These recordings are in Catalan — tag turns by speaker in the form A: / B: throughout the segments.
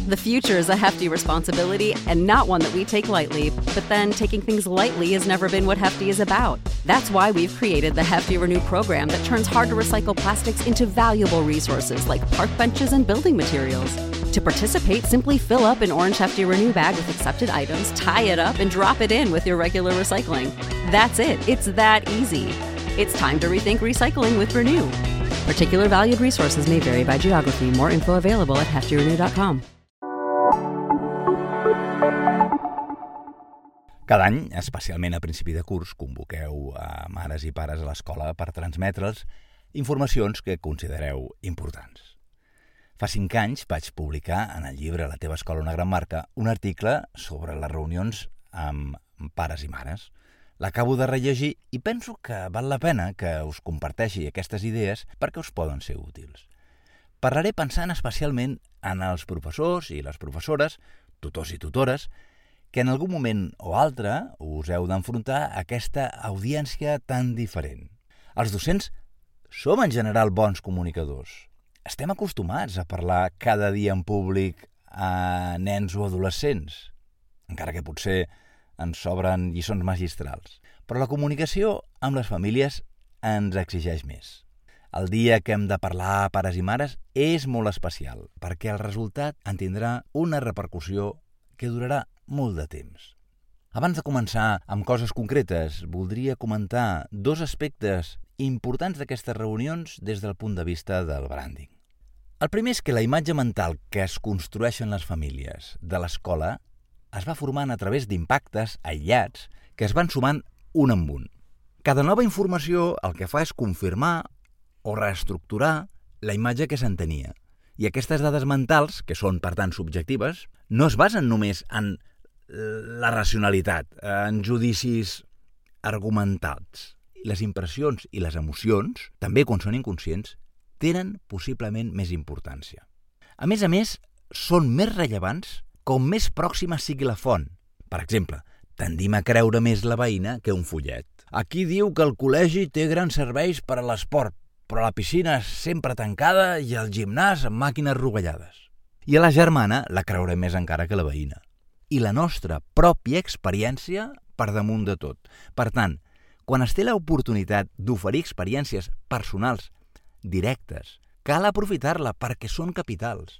A: The future is a hefty responsibility and not one that we take lightly, but then taking things lightly has never been what Hefty is about. That's why we've created the Hefty Renew program that turns hard-to-recycle plastics into valuable resources like park benches and building materials. To participate, simply fill up an orange Hefty Renew bag with accepted items, tie it up, and drop it in with your regular recycling. That's it. It's that easy. It's time to rethink recycling with Renew. Particular valued resources may vary by geography. More info available at heftyrenew.com.
B: Cada any, especialment a principi de curs, convoqueu a mares i pares a l'escola per transmetre'ls informacions que considereu importants. Fa 5 anys vaig publicar en el llibre La teva escola una gran marca un article sobre les reunions amb pares i mares. L'acabo de rellegir i penso que val la pena que us comparteixi aquestes idees perquè us poden ser útils. Parlaré pensant especialment en els professors i les professores, tutors i tutores, que en algun moment o altre us heu d'enfrontar a aquesta audiència tan diferent. Els docents som en general bons comunicadors. Estem acostumats a parlar cada dia en públic a nens o adolescents, encara que potser ens sobren lliçons magistrals. Però la comunicació amb les famílies ens exigeix més. El dia que hem de parlar a pares i mares és molt especial, perquè el resultat en tindrà una repercussió que durarà molt de temps. Abans de començar amb coses concretes, voldria comentar 2 aspectes importants d'aquestes reunions des del punt de vista del branding. El primer és que la imatge mental que es construeixen les famílies de l'escola es va formant a través d'impactes aïllats que es van sumant un amb un. Cada nova informació el que fa és confirmar o reestructurar la imatge que se'n tenia. I aquestes dades mentals, que són per tant subjectives, no es basen només en la racionalitat, en judicis argumentats. Les impressions i les emocions, també quan són inconscients, tenen possiblement més importància. A més, són més rellevants com més pròxima sigui la font. Per exemple, tendim a creure més la veïna que un fullet. Aquí diu que el col·legi té grans serveis per a l'esport, però la piscina és sempre tancada i el gimnàs amb màquines rovellades. I a la germana la creurem més encara que la veïna. I la nostra pròpia experiència per damunt de tot. Per tant, quan es té l'oportunitat d'oferir experiències personals directes, cal aprofitar-la perquè són capitals.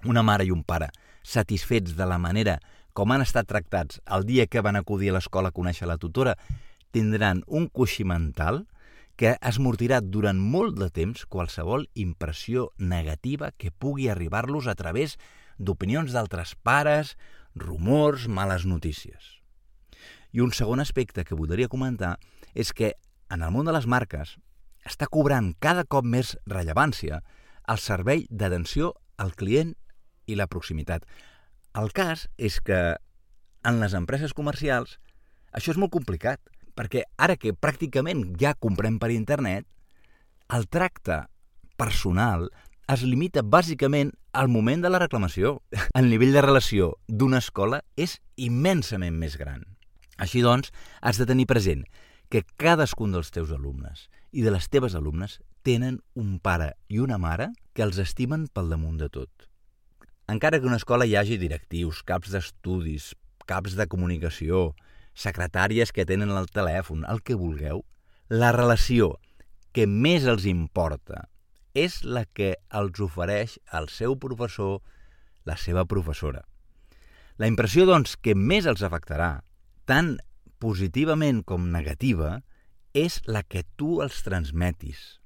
B: Una mare i un pare satisfets de la manera com han estat tractats el dia que van acudir a l'escola a conèixer la tutora tindran un coixí mental que esmortirà durant molt de temps qualsevol impressió negativa que pugui arribar-los a través d'opinions d'altres pares, rumors, males notícies. I un segon aspecte que voldria comentar és que en el món de les marques està cobrant cada cop més rellevància el servei d'atenció al client i la proximitat. El cas és que en les empreses comercials això és molt complicat, perquè ara que pràcticament ja comprem per internet, el tracte personal es limita bàsicament al moment de la reclamació. El nivell de relació d'una escola és immensament més gran. Així doncs, has de tenir present que cadascun dels teus alumnes i de les teves alumnes tenen un pare i una mare que els estimen pel damunt de tot. Encara que a una escola hi hagi directius, caps d'estudis, caps de comunicació, secretàries que tenen el telèfon, el que vulgueu, la relació que més els importa és la que els ofereix el seu professor, la seva professora. La impressió, doncs, que més els afectarà, tant positivament com negativa, és la que tu els transmetis.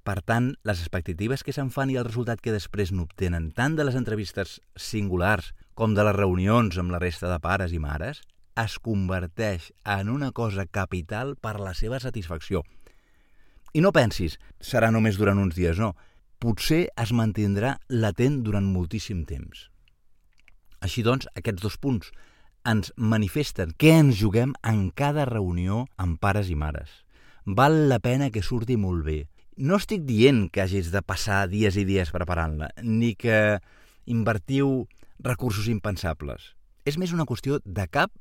B: Per tant, les expectatives que se'n fan i el resultat que després n'obtenen tant de les entrevistes singulars com de les reunions amb la resta de pares i mares es converteix en una cosa capital per a la seva satisfacció. I no pensis, serà només durant uns dies, no. Potser es mantindrà latent durant moltíssim temps. Així doncs, aquests 2 punts ens manifesten què ens juguem en cada reunió amb pares i mares. Val la pena que surti molt bé. No estic dient que hagis de passar dies i dies preparant-la, ni que invertiu recursos impensables. És més una qüestió de cap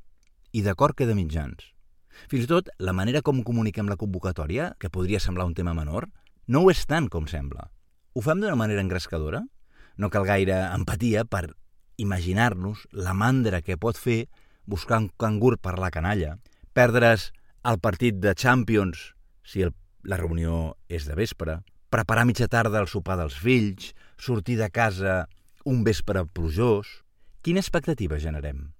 B: i de cor que de mitjans. Fins i tot, la manera com comuniquem la convocatòria, que podria semblar un tema menor, no ho és tant com sembla. Ho fem d'una manera engrescadora? No cal gaire empatia per imaginar-nos la mandra que pot fer buscar un cangur per la canalla, perdre's el partit de Champions si la reunió és de vespre, preparar mitja tarda el sopar dels fills, sortir de casa un vespre plujós. Quina expectativa generem?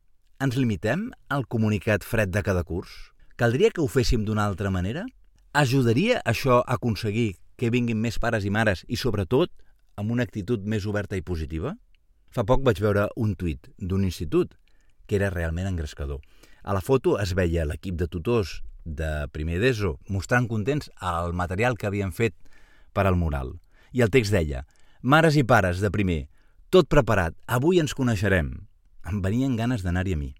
B: Ens limitem al comunicat fred de cada curs? Caldria que ho féssim d'una altra manera? Ajudaria això a aconseguir que vinguin més pares i mares i, sobretot, amb una actitud més oberta i positiva? Fa poc vaig veure un tuit d'un institut que era realment engrescador. A la foto es veia l'equip de tutors de primer d'ESO mostrant contents el material que havien fet per al mural. I el text deia: mares i pares de primer, tot preparat, avui ens coneixerem. Em venien ganes d'anar-hi a mi.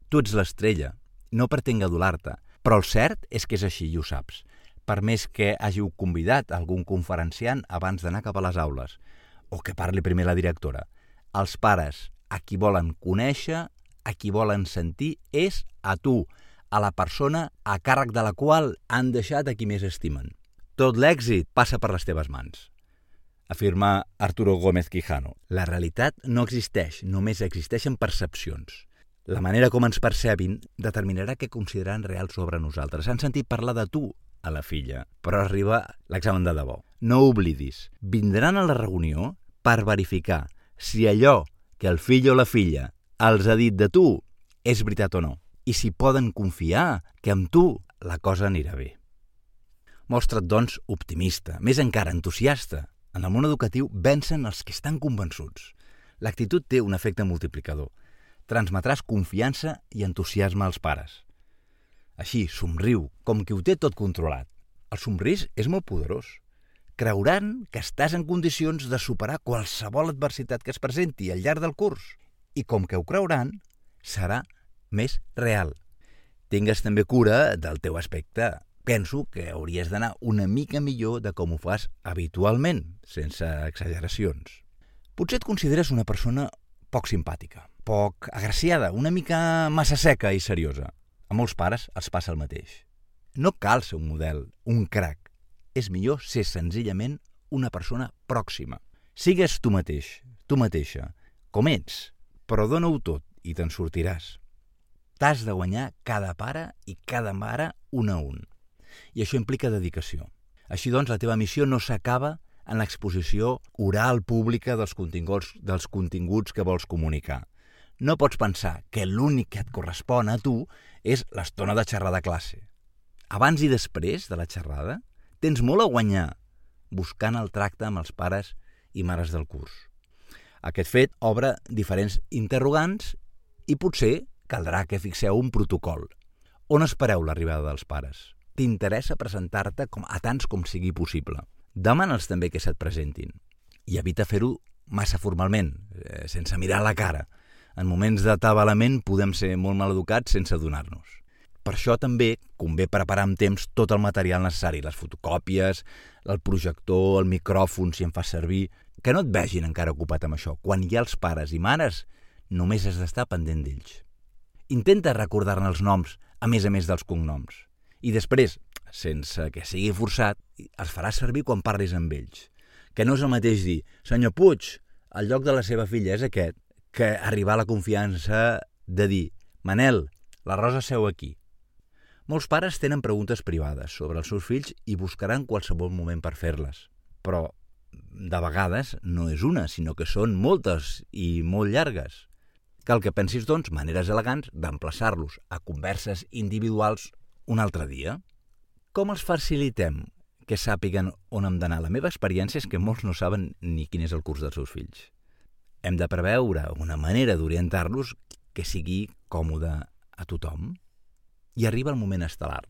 B: Tu ets l'estrella, no pretenc adular-te, però el cert és que és així i ho saps. Per més que hàgiu convidat algun conferenciant abans d'anar cap a les aules, o que parli primer la directora, els pares, a qui volen conèixer, a qui volen sentir, és a tu, a la persona a càrrec de la qual han deixat a qui més estimen. Tot l'èxit passa per les teves mans, afirma Arturo Gómez Quijano. La realitat no existeix, només existeixen percepcions. La manera com ens percebin determinarà què consideraran real sobre nosaltres. Han sentit parlar de tu a la filla, però arriba l'examen de debò. No ho oblidis, vindran a la reunió per verificar si allò que el fill o la filla els ha dit de tu és veritat o no, i si poden confiar que amb tu la cosa anirà bé. Mostra't, doncs, optimista, més encara entusiasta. En el món educatiu vencen els que estan convençuts. L'actitud té un efecte multiplicador. Transmetràs confiança i entusiasme als pares. Així, somriu, com qui ho té tot controlat. El somrís és molt poderós. Creuran que estàs en condicions de superar qualsevol adversitat que es presenti al llarg del curs. I com que ho creuran, serà més real. Tingues també cura del teu aspecte. Penso que hauries d'anar una mica millor de com ho fas habitualment, sense exageracions. Potser et consideres una persona poc simpàtica, poc agraciada, una mica massa seca i seriosa. A molts pares els passa el mateix. No cal ser un model, un crac. És millor ser senzillament una persona pròxima. Sigues tu mateix, tu mateixa, com ets, però dona-ho tot i te'n sortiràs. T'has de guanyar cada pare i cada mare un a un. I això implica dedicació. Així doncs, la teva missió no s'acaba en l'exposició oral pública dels continguts que vols comunicar. No pots pensar que l'únic que et correspon a tu és l'estona de xerrada a classe. Abans i després de la xerrada, tens molt a guanyar buscant el tracte amb els pares i mares del curs. Aquest fet obre diferents interrogants i potser caldrà que fixeu un protocol. On espereu l'arribada dels pares? T'interessa presentar-te a tants com sigui possible. Demana'ls també que se't presentin. I evita fer-ho massa formalment, sense mirar la cara. En moments d'atabalament podem ser molt maleducats sense adonar-nos. Per això també convé preparar amb temps tot el material necessari, les fotocòpies, el projector, el micròfon, si en fas servir. Que no et vegin encara ocupat amb això. Quan hi ha els pares i mares, només has d'estar pendent d'ells. Intenta recordar-ne els noms, a més dels cognoms. I després, sense que sigui forçat, els faràs servir quan parlis amb ells. Que no és el mateix dir, senyor Puig, el lloc de la seva filla és aquest, que arribar a la confiança de dir, Manel, la Rosa seu aquí. Molts pares tenen preguntes privades sobre els seus fills i buscaran qualsevol moment per fer-les. Però, de vegades, no és una, sinó que són moltes i molt llargues. Cal que pensis, doncs, maneres elegants d'emplaçar-los a converses individuals un altre dia. Com els facilitem que sàpiguen on hem d'anar? La meva experiència és que molts no saben ni quin és el curs dels seus fills. Hem de preveure una manera d'orientar-los que sigui còmode a tothom. I arriba el moment estel·lar.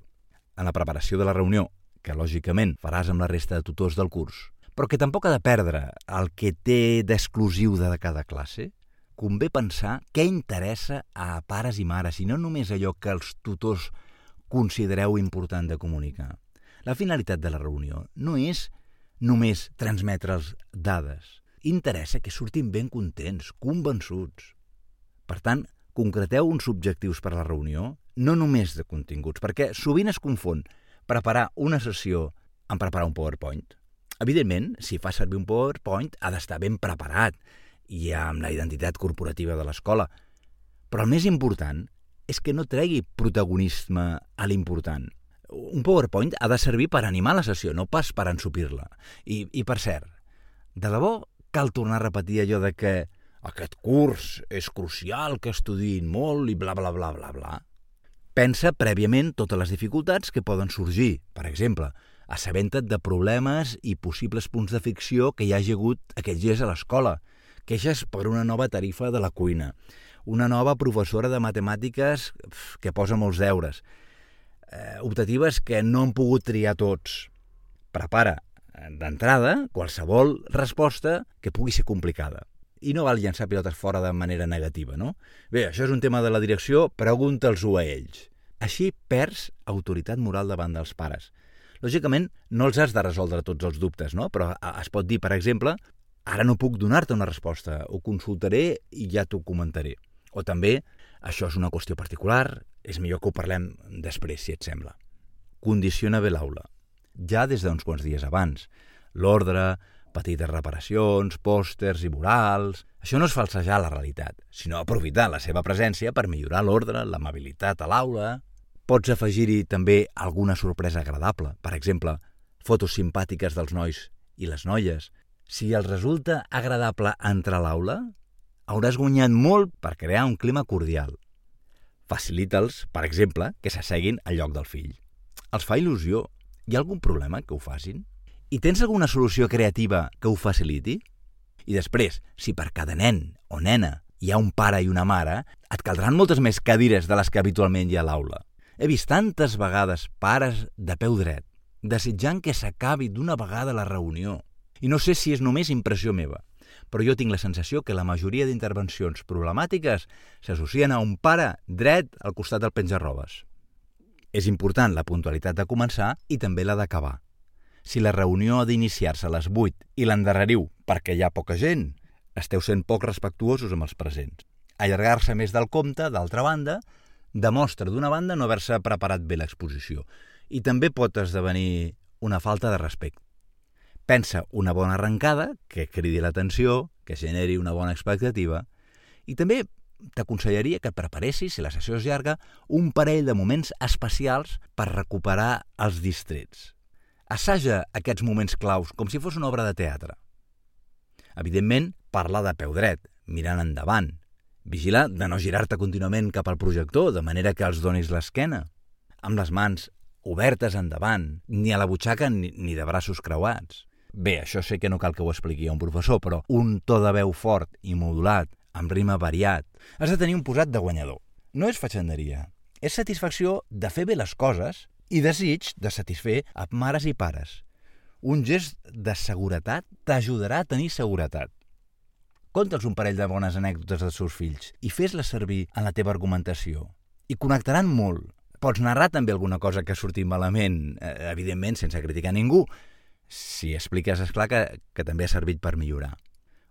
B: En la preparació de la reunió, que lògicament faràs amb la resta de tutors del curs, però que tampoc ha de perdre el que té d'exclusiu de cada classe, convé pensar què interessa a pares i mares, i no només allò que els tutors considereu important de comunicar. La finalitat de la reunió no és només transmetre'ls dades. Interessa que surtin ben contents, convençuts. Per tant, concreteu uns objectius per a la reunió, no només de continguts, perquè sovint es confon preparar una sessió amb preparar un PowerPoint. Evidentment, si fa servir un PowerPoint, ha d'estar ben preparat i amb la identitat corporativa de l'escola. Però el més important és que no tregui protagonisme a l'important. Un PowerPoint ha de servir per animar la sessió, no pas per ensupir-la. I per cert, de debò cal tornar a repetir allò de que aquest curs és crucial, que estudiïn molt i bla, bla, bla, bla, bla. Pensa prèviament totes les dificultats que poden sorgir. Per exemple, assabenta't de problemes i possibles punts de fricció que hi hagi hagut aquests dies a l'escola. Queixes per una nova tarifa de la cuina, una nova professora de matemàtiques que posa molts deures, optatives que no han pogut triar tots. Prepara d'entrada qualsevol resposta que pugui ser complicada. I no val llançar pilotes fora de manera negativa, no? Bé, això és un tema de la direcció, pregunta'ls-ho a ells. Així perds autoritat moral davant dels pares. Lògicament, no els has de resoldre tots els dubtes, no? Però es pot dir, per exemple, ara no puc donar-te una resposta, ho consultaré i ja t'ho comentaré. O també, això és una qüestió particular, és millor que ho parlem després, si et sembla. Condiciona bé l'aula. Ja des d'uns quants dies abans. L'ordre, petites reparacions, pòsters i murals... Això no és falsejar la realitat, sinó aprofitar la seva presència per millorar l'ordre, l'amabilitat a l'aula. Pots afegir-hi també alguna sorpresa agradable, per exemple, fotos simpàtiques dels nois i les noies. Si els resulta agradable entrar a l'aula, hauràs guanyat molt per crear un clima cordial. Facilita'ls, per exemple, que s'asseguin al lloc del fill. Els fa il·lusió. Hi ha algun problema que ho facin? I tens alguna solució creativa que ho faciliti? I després, si per cada nen o nena hi ha un pare i una mare, et caldran moltes més cadires de les que habitualment hi ha a l'aula. He vist tantes vegades pares de peu dret, desitjant que s'acabi d'una vegada la reunió. I no sé si és només impressió meva, però jo tinc la sensació que la majoria d'intervencions problemàtiques s'associen a un pare dret al costat del penjarrobes. És important la puntualitat de començar i també la d'acabar. Si la reunió ha d'iniciar-se a les 8 i l'endarreriu perquè hi ha poca gent, esteu sent poc respectuosos amb els presents. Allargar-se més del compte, d'altra banda, demostra d'una banda no haver-se preparat bé l'exposició i també pot esdevenir una falta de respecte. Pensa una bona arrencada que cridi l'atenció, que generi una bona expectativa i també t'aconsellaria que preparessis, si la sessió és llarga, un parell de moments especials per recuperar els distrets. Assaja aquests moments claus com si fos una obra de teatre. Evidentment, parla de peu dret, mirant endavant. Vigila de no girar-te contínuament cap al projector, de manera que els donis l'esquena. Amb les mans obertes endavant, ni a la butxaca ni de braços creuats. Bé, això sé que no cal que ho expliqui a un professor, però un to de veu fort i modulat, amb rima variat. Has de tenir un posat de guanyador. No és fatxenderia, és satisfacció de fer bé les coses i desig de satisfer a mares i pares. Un gest de seguretat t'ajudarà a tenir seguretat. Conta'ls un parell de bones anècdotes dels seus fills i fes-les servir en la teva argumentació. I connectaran molt. Pots narrar també alguna cosa que ha sortit malament, evidentment sense criticar ningú. Si expliques, esclar que també ha servit per millorar.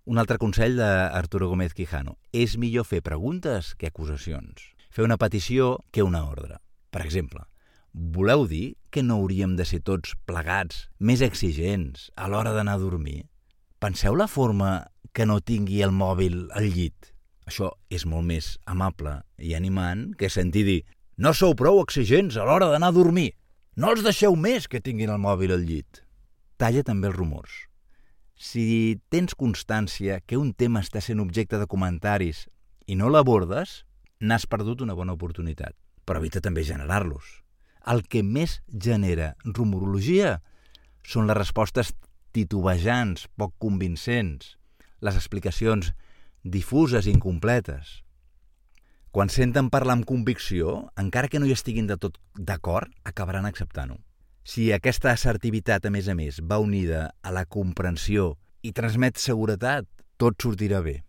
B: Un altre consell d'Arturo Gómez Quijano. És millor fer preguntes que acusacions. Fer una petició que una ordre. Per exemple, voleu dir que no hauríem de ser tots plegats, més exigents, a l'hora d'anar a dormir? Penseu la forma que no tingui el mòbil al llit. Això és molt més amable i animant que sentir dir «No sou prou exigents a l'hora d'anar a dormir! No els deixeu més que tinguin el mòbil al llit!» Talla també els rumors. Si tens constància que un tema està sent objecte de comentaris i no l'abordes, n'has perdut una bona oportunitat. Però evita també generar-los. El que més genera rumorologia són les respostes titubejants, poc convincents, les explicacions difuses i incompletes. Quan senten parlar amb convicció, encara que no hi estiguin de tot d'acord, acabaran acceptant-ho. Si aquesta assertivitat, a més, va unida a la comprensió i transmet seguretat, tot sortirà bé.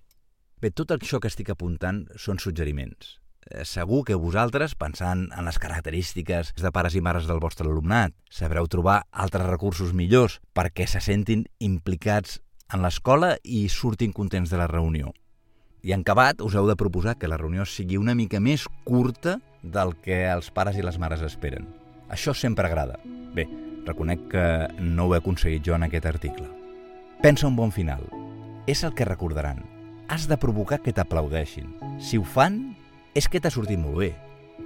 B: Bé, tot això que estic apuntant són suggeriments. Segur que vosaltres, pensant en les característiques de pares i mares del vostre alumnat, sabreu trobar altres recursos millors perquè se sentin implicats en l'escola i surtin contents de la reunió. I en acabat, us heu de proposar que la reunió sigui una mica més curta del que els pares i les mares esperen. Això sempre agrada. Bé, reconec que no ho he aconseguit jo en aquest article. Pensa un bon final. És el que recordaran. Has de provocar que t'aplaudeixin. Si ho fan, és que t'ha sortit molt bé.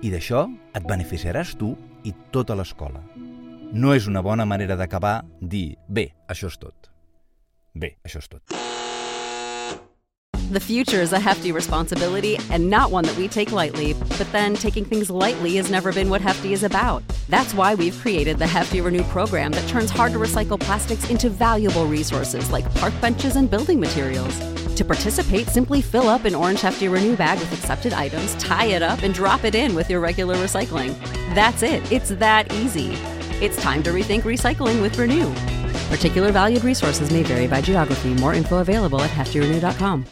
B: I d'això et beneficiaràs tu i tota l'escola. No és una bona manera d'acabar dir, bé, això és tot. Bé, això és tot.
A: The future is a hefty responsibility and not one that we take lightly, but then taking things lightly has never been what Hefty is about. That's why we've created the Hefty Renew program that turns hard-to-recycle plastics into valuable resources like park benches and building materials. To participate, simply fill up an orange Hefty Renew bag with accepted items, tie it up, and drop it in with your regular recycling. That's it. It's that easy. It's time to rethink recycling with Renew. Particular valued resources may vary by geography. More info available at heftyrenew.com.